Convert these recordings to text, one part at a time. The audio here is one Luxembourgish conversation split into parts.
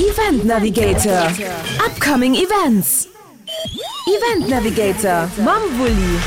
Event Navigator, Upcoming Events. Event Navigator mam Wulli.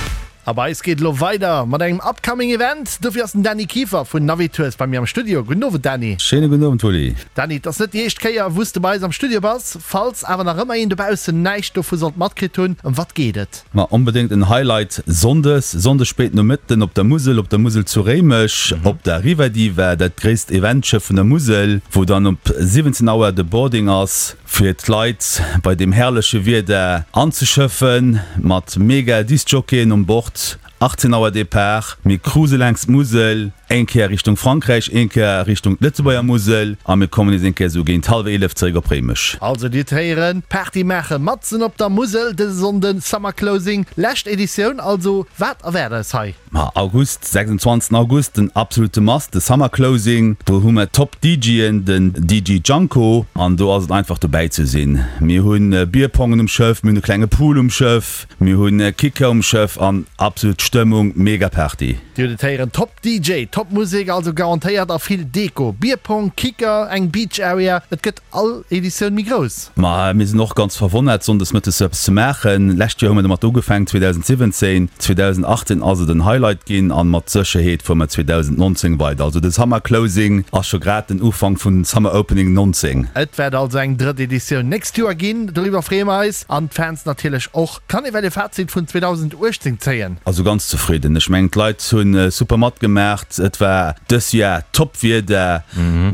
A bei eis geet elo weider mat engem upcoming Event. Dofir ass den Dany Kieffer vun Navitours bei mir am Studio. Gudden Owend Dany. Schéine gudden Owend Wulli. Dany, et ass net déi éischt Kéier wou s de bei eis am Studio bass. Falls awer nach ëmmer een dobaussen näischt dovu sollt matkritt hunn, ëm wat geet et? Ma onbedéngt en Highlight Sonndes, Sonndes spéit Nomëtten op der Musel, op der Musel zu Réimech, op der Riva Diva, dat gréisst Eventschëff vun der Musel, wou dann op 17 Auer de Boarding ass. Fir d'Leit bei deem herrleche Wieder anzeschëffen, mat mega Discjockeyen um Bord. 18 Auer Depart, mir cruise laangs d'Musel, eng Kéier Richtung Frankräich, eng Kéier Richtung d'Lëtzebuerger Musel a mir kommen nees eng Kéier esou géint hallwer 11 zeréck op Réimech. Also dir d'héieren, Party maache matzen op der Musel dëse Sonnden, Summer Closing, lescht Editioun also. Wat erwaart eis hei? Ma August, 26 August, den absolute Must, de Summer Closing. Do hu mer Top DJen, den DJ Janko, an do ass et einfach dobäi ze sinn. Mir hunn Bierpongen um Schëff, mir hunn e klenge Pool um Schëff, mir hunn Kicker um Schëff an absolut Stëmmung, mega Party. Dir hutt et héieren, Top DJ, Top Musek, also garantéiert a vill Deko, Bierpong, Kicker, eng Beach Area, et gëtt all Editioun méi grouss. Ma mir sinn och ganz verwonnert, sonndes mëttes sou eppes ze maachen. Lescht Joer hu mir domat ugefaangen, 2017. 2018 ass et en Highlight ginn an mat Sécherheet fuere mer 2019 weider. Also de Summer Closing ass scho grad den Ufank vun Summer Opening 19. Et wäert also eng drëtt Editioun nächst Joer ginn, doriwwer freeë mer eis an d'Fans natierlech och. Kann ee well e Fazit vun 2018 zéien? Also ganz zefridden. Ech mengen d'Leit hunn super matgemaacht. Et war dës Jar top Wieder,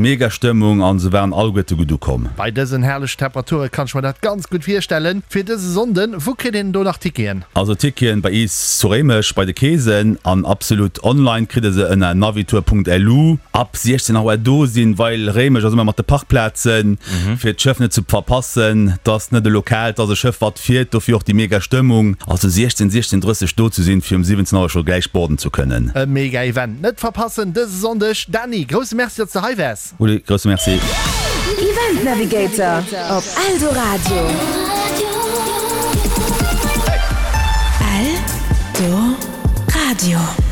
mega Stëmmung an se waren alleguerte gutt ukomm. Bei dësen herrlechen Temperature kann ech mer dat ganz gutt virstellen. Fir dëse Sonnden, wou kritt een do nach Ticketen? Also Ticketen bei iis zu Réimech bei de Keesen an absolut online kritt e se ënner navitour.lu. Ab 16 Auer do sinn, well Réimech ass ëmmer mat de Parkplazen, fir d'Schëff net ze verpassen. 't ass net e Lokal, 't ass e Schëff wat fiert, dofir och déi mega Stëmmung. Also 16, 16:30 do ze sinn, fir um 17 Auer scho gläich boarden ze kënnen. E mega Event, net verpassen dëse Sonndeg. Dany, grousse Merci, datt s de hei waars. Uli, grousse Merci. Event Navigator op Eldoradio. Eldoradio.